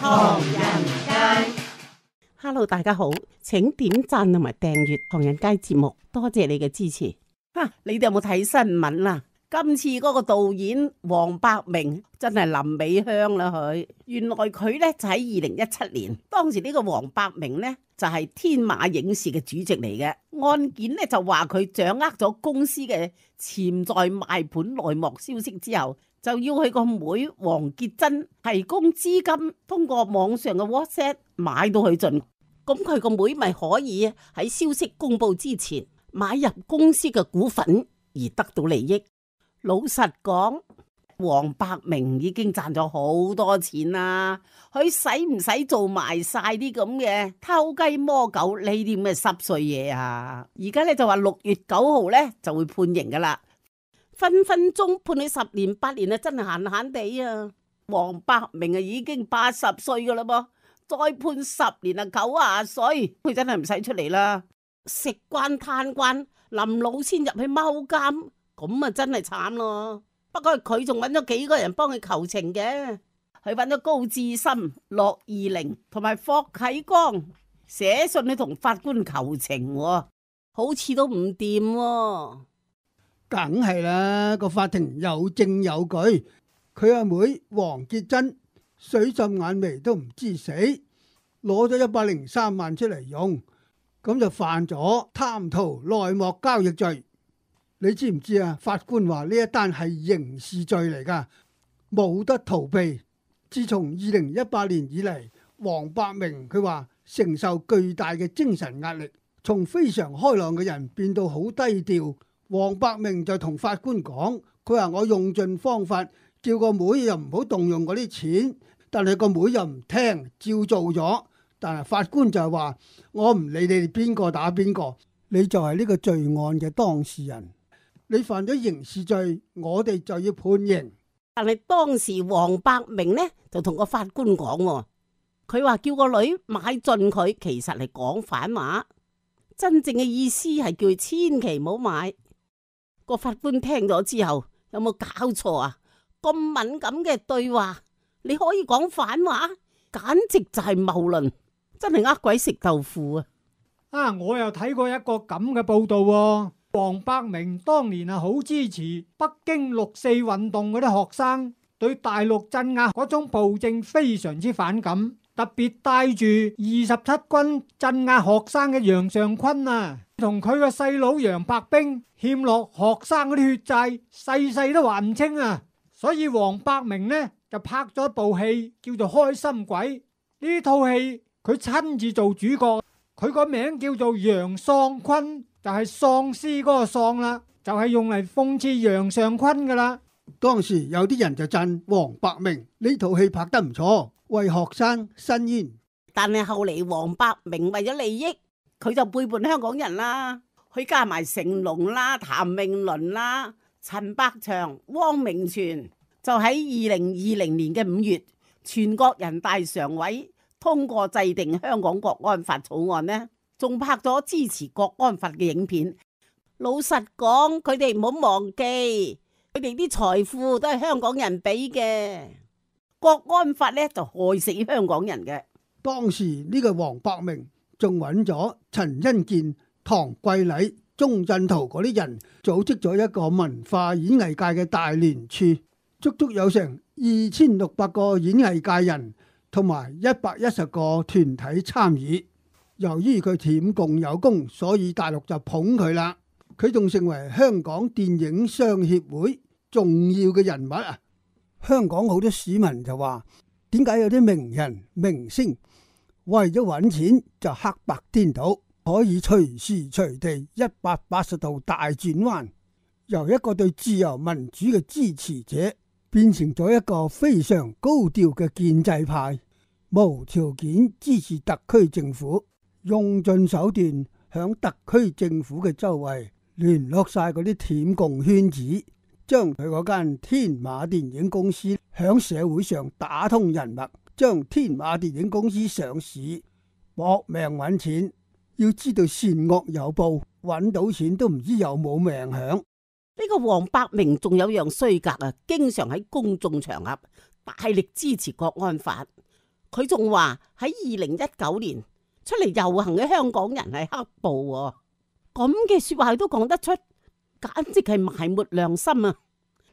唐人街。Hello， 大家好，請點讚同埋訂閱唐人街節目，多謝你嘅支持。你哋有冇睇新聞啊？今次嗰個導演黃百鳴真係臨尾香啦佢。原來佢呢就喺2017年，當時呢個黃百鳴呢就係天馬影視嘅主席嚟嘅。案件呢就話佢掌握咗公司嘅潛在賣盤內幕消息之後，就要佢個妹黃潔珍提供資金，通過網上嘅 WhatsApp 買到佢盡。咁佢個妹咪可以喺消息公布之前買入公司嘅股份而得到利益。老實講，黃百鳴已經賺咗好多錢啦，佢使唔使做埋晒啲咁嘅偷雞摸狗呢啲咁嘅濕碎嘢啊？而家咧就話6月9號咧就會判刑噶啦，分分鐘判你10年8年啊，真係閒閒地啊！黃百鳴啊已經80歲噶啦噃，再判10年啊90歲，佢真係唔使出嚟啦，食慣嘆慣，臨老先入去踎監。咁啊，真係慘咯！不過佢仲揾咗幾個人幫佢求情嘅，佢揾咗高志森、駱義寧同埋霍啟剛寫信去同法官求情，好似都唔掂喎。梗係啦，個法庭有證有據，佢阿妹黃潔珍水浸眼眉都唔知死，攞咗103萬出嚟用，咁就犯咗貪圖內幕交易罪。你知唔知啊？法官話呢一單係刑事罪嚟噶，冇得逃避。自從2018年以嚟，黃百鳴佢話承受巨大嘅精神壓力，從非常開朗嘅人變到好低調。黃百鳴就同法官講，佢話我用盡方法叫個妹又唔好動用嗰啲錢，但係個妹又唔聽，照做咗。但係法官就係話我唔理你哋邊個打邊個，你就係呢個罪案嘅當事人。你犯咗刑事罪，我哋就要判刑。但係當時黃百鳴呢就同個法官講，佢話叫個女買盡佢，其實係講反話，真正嘅意思係叫佢千祈唔好買。個法官聽咗之後，有冇搞錯啊？咁敏感嘅對話，你可以講反話，簡直就係謬論，真係呃鬼食豆腐啊！我又睇過一個咁嘅報道喎。黃百鳴當年係好支持北京6·4運動嗰啲學生，對大陸鎮壓嗰種暴政非常之反感，特別帶住27軍鎮壓學生嘅楊尚昆啊，同佢個細佬楊白冰欠落學生嗰啲血債，世世都還唔清啊！所以黃百鳴呢就拍咗一部戲叫做《開心鬼》，呢套戲佢親自做主角，佢個名叫做楊尚昆。就係喪屍嗰個喪啦，就係用嚟諷刺楊尚昆噶啦。當時有啲人就讚黃百鳴呢套戲拍得唔錯，為學生伸冤。但係後嚟黃百鳴為咗利益，佢就背叛香港人啦。佢加埋成龍啦、譚詠麟啦、陳百祥、汪明荃，就喺2020年嘅5月，全國人大常委通過制定香港國安法草案呢，仲拍咗支持國安法嘅影片。老實講，佢哋唔好忘記，佢哋啲財富都係香港人俾嘅。國安法呢就害死香港人嘅。當時呢個黃百鳴仲揾咗陳欣健、唐桂禮、鐘鎮濤嗰啲人，組織咗一個文化演藝界嘅大聯署，足足有成2600個演藝界人同埋110個團體參與。由於佢舔共有功，所以大陸就捧佢啦。佢仲成為香港電影商協會重要嘅人物啊！香港好多市民就話：點解有啲名人明星為咗揾錢就黑白顛倒，可以隨時隨地180度大轉彎，由一個對自由民主嘅支持者變成咗一個非常高調嘅建制派，無條件支持特區政府，用盡手段響特區政府嘅周圍聯絡晒嗰啲舔共圈子，將佢嗰間天馬電影公司響社會上打通人脈，將天馬電影公司上市，搏命揾錢。要知道善惡有報，揾到錢都唔知有冇命響。呢個黃百鳴仲有樣衰格啊，經常喺公眾場合大力支持國安法。佢仲話喺2019年出嚟遊行嘅香港人係黑暴喎，咁嘅說話佢都講得出，簡直係埋沒良心啊！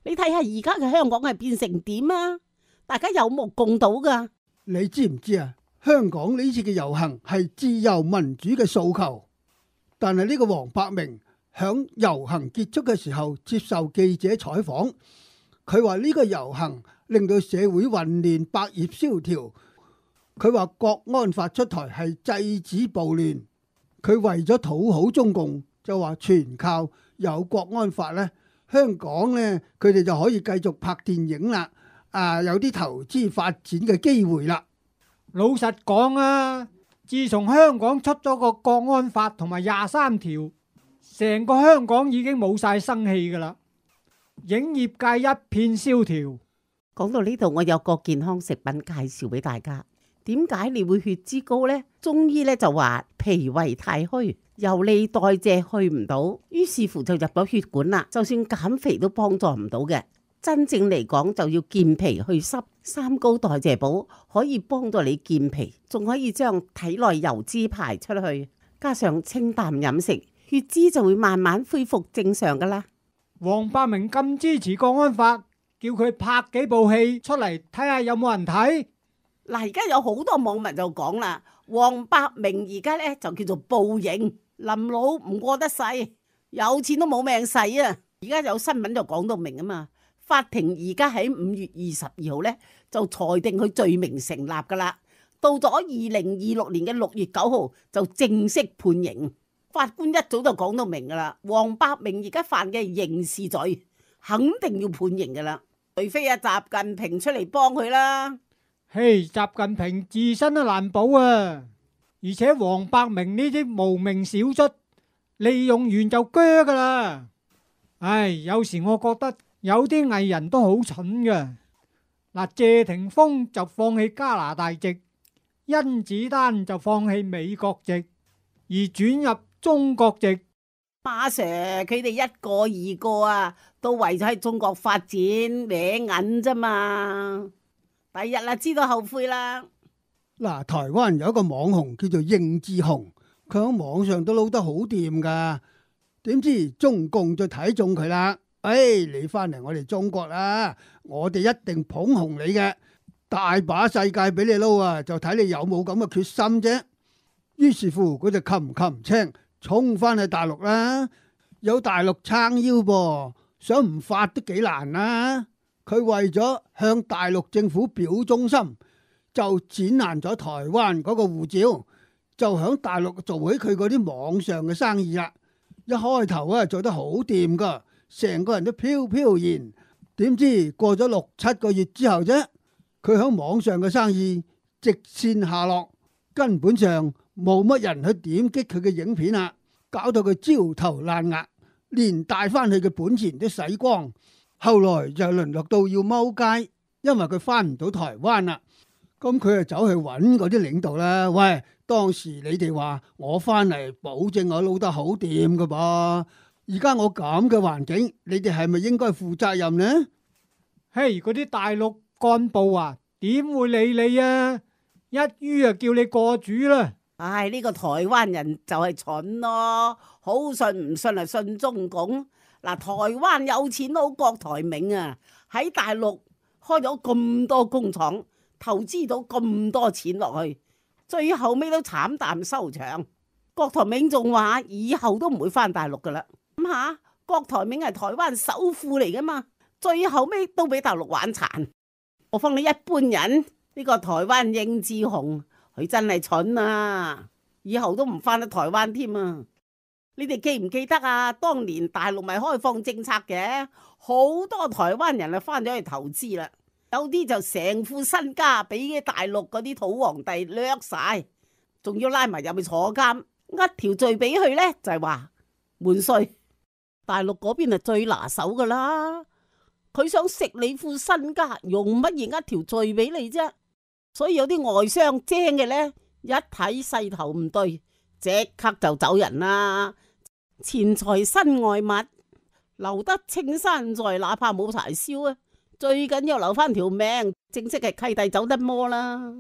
你睇下而家嘅香港係變成點啊？大家有目共睹噶。你知唔知啊？香港呢次嘅遊行係自由民主嘅訴求，但係呢個黃百鳴響遊行結束嘅時候接受記者採訪，佢話呢個遊行令到社會混亂，百業蕭條。佢話國安法出台係制止暴亂，佢為咗討好中共，就話全靠有國安法呢，香港呢，佢哋就可以繼續拍電影啦，有啲投資發展嘅機會啦。老實講啊，自從香港出咗個國安法同埋23條，成個香港已經冇晒生氣噶啦，影業界一片蕭條。講到呢度，我有個健康食品介紹俾大家。點解你會血脂高呢？中醫咧就話脾胃太虛，由你代謝去唔到，於是乎就入咗血管啦。就算減肥都幫助唔到嘅。真正嚟講就要健脾去濕，三高代謝寶可以幫到你健脾，仲可以將體內油脂排出去。加上清淡飲食，血脂就會慢慢恢復正常噶啦。黃百鳴咁支持國安法，叫佢拍幾部戲出嚟睇下有冇人睇。嗱，而家有好多網民就講啦，黃百鳴而家咧就叫做報應，臨老唔過得世，有錢都冇命使啊！而家有新聞就講到明啊嘛，法庭而家喺5月22號咧就裁定佢罪名成立噶啦，到咗2026年嘅6月9號就正式判刑。法官一早就講到明噶啦，黃百鳴而家犯嘅刑事罪，肯定要判刑噶啦，除非阿習近平出嚟幫佢啦。嘿，習近平自身都難保啊！而且黃百鳴呢啲無名小卒，利用完就鋸噶啦。唉，有時我覺得有啲藝人都好蠢嘅。嗱，謝霆鋒就放棄加拿大籍，甄子丹就放棄美國籍，而轉入中國籍。馬 Sir 佢哋一個二個啊，都為咗喺中國發展搲銀啫嘛。第日啦，知道後悔啦。嗱，台灣有一個網紅叫做應志雄，佢喺網上都撈得好掂噶。點知中共就睇中佢啦。你翻嚟我哋中國啦，我哋一定捧紅你嘅，大把世界俾你撈啊，就睇你有冇咁嘅決心啫。於是乎，佢就擒青衝翻去大陸啦。有大陸撐腰噃，想唔發都幾難啦。佢為咗向大陸政府表忠心，就剪爛咗台灣嗰個護照，就響大陸做起佢嗰啲網上嘅生意啦。一開頭啊做得好掂噶，成個人都飄飄然。點知過咗6-7個月之後啫，佢響網上嘅生意直線下落，根本上冇乜人去點擊佢嘅影片啦，搞到佢焦頭爛額，連帶翻去嘅本錢都洗光。後來就淪落到要踎街，因為佢翻唔到台灣啦。咁佢就走去揾嗰啲領導啦。喂，當時你哋話我翻嚟保證我撈得好掂噶噃，而家我咁嘅環境，你哋係咪應該負責任呢？嘿，嗰啲大陸幹部啊，點會理你啊？一於啊叫你過主啦。唉，呢個台灣人就係蠢咯，好信唔信啊？信中共。嗱，台灣有錢佬郭台銘啊，喺大陸開咗咁多工廠，投資到咁多錢落去，最後尾都慘淡收場。郭台銘仲話以後都唔會翻大陸噶啦。諗下，郭台銘係台灣首富嚟噶嘛，最後尾都俾大陸玩殘。我放你一般人，呢個台灣應志雄，佢真係蠢啊，以後都唔翻得台灣添啊！你哋記唔記得啊？當年大陸咪開放政策嘅，好多台灣人啊翻咗去投資啦，有啲就成副身家俾大陸嗰啲土皇帝掠晒，仲要拉埋入去坐監，一條罪俾佢呢，就係話瞞稅。大陸嗰邊係最拿手噶啦，佢想食你副身家，用乜嘢一條罪俾你啫？所以有啲外商精嘅呢，一睇勢頭唔對，即刻就走人啦。錢財身外物，留得青山在，哪怕冇柴燒啊！最緊要留翻條命，正式係契弟走得摩啦。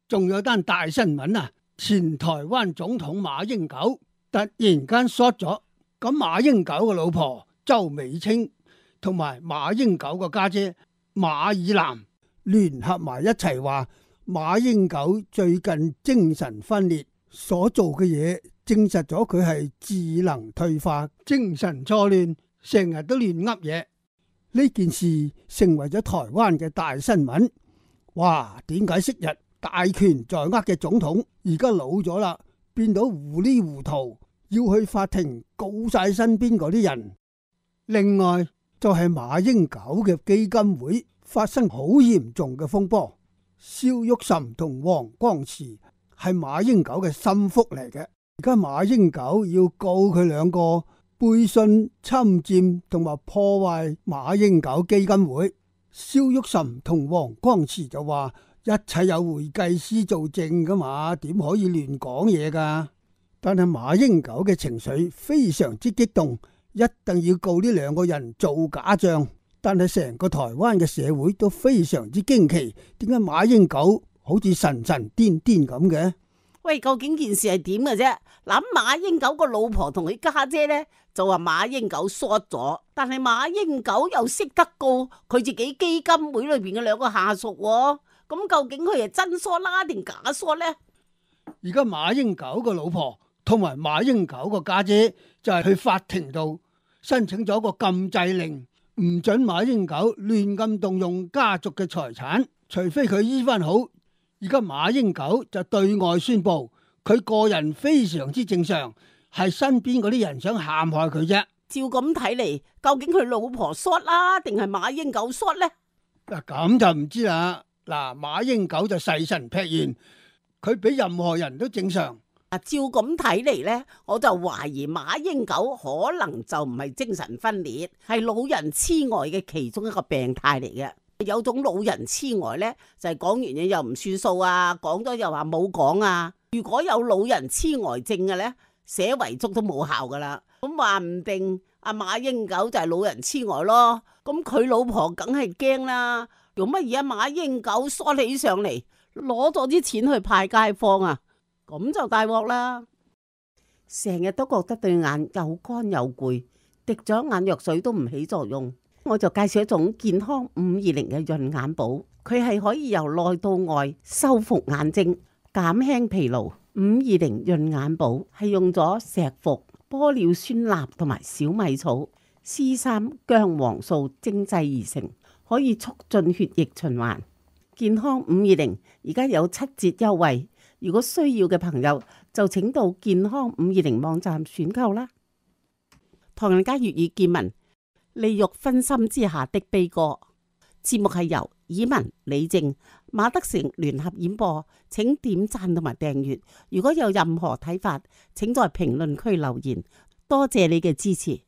仲有單大新聞啊！前台灣總統馬英九突然間 short 咗，咁馬英九嘅老婆周美青同埋馬英九個家姐馬爾南聯合埋一齊話，馬英九最近精神分裂，所做嘅嘢證實咗佢係智能退化、精神錯亂，成日都亂噏嘢。呢件事成為咗台灣嘅大新聞。哇！點解昔日大權在握嘅總統而家老咗啦，變到糊裡糊塗，要去法庭告晒身邊嗰啲人？另外就係馬英九嘅基金會發生好嚴重嘅風波，蕭旭岑同黃光慈係馬英九嘅心腹嚟嘅，而家馬英九要告佢兩個背信、侵佔同埋破壞馬英九基金會。蕭旭岑同黃光慈就話一切有會計師做證噶嘛，點可以亂講嘢噶？但係馬英九嘅情緒非常之激動，一定要告呢兩個人做假賬。但係成個台灣嘅社會都非常之驚奇，點解馬英九好似神神癲癲咁嘅？喂，究竟件事係點嘅啫？諗馬英九個老婆同佢家姐呢，就話馬英九 short 咗，但係馬英九又識得告佢自己基金會裏邊嘅兩個下屬喎。咁究竟佢係真 short 啦定假 short 呢？而家馬英九個老婆同埋馬英九個家姐就係去法庭度申請咗個禁制令，唔准馬英九亂咁動用家族嘅財產，除非佢醫翻好。而家馬英九就對外宣布，佢個人非常之正常，係身邊嗰啲人想陷害佢啫。照咁睇嚟，究竟佢老婆 short 啦，定係馬英九 short 呢？嗱，咁就唔知啦。嗱，馬英九就誓神劈願，佢比任何人都正常。照咁睇嚟呢，我就懷疑馬英九可能就唔係精神分裂，係老人痴呆嘅其中一個病態嚟嘅。有種老人痴呆呢，就係講完嘢又唔算數啊，講咗又話冇講啊。如果有老人痴呆症嘅呢，寫遺囑都冇效噶啦。咁話唔定阿馬英九就係老人痴呆咯。咁佢老婆梗係驚啦，用乜嘢馬英九梳起上嚟，攞咗啲錢去派街坊啊？咁就大鑊啦！成日都覺得對眼又乾又攰，滴咗眼藥水都唔起作用。我就介紹一種健康520嘅潤眼寶，佢係可以由內到外修復眼睛、減輕疲勞。520潤眼寶係用咗石斛、玻尿酸鈉同埋小米草、C3薑黃素精製而成，可以促進血液循環。健康520而家有7折優惠，如果需要嘅朋友就請到健康520網站選購啦。唐人街粵語見聞，利欲熏心之下的悲歌。節目係由以文、李靜、馬德成聯合演播，請點讚同埋訂閱。如果有任何睇法，請在評論區留言。多謝你嘅支持。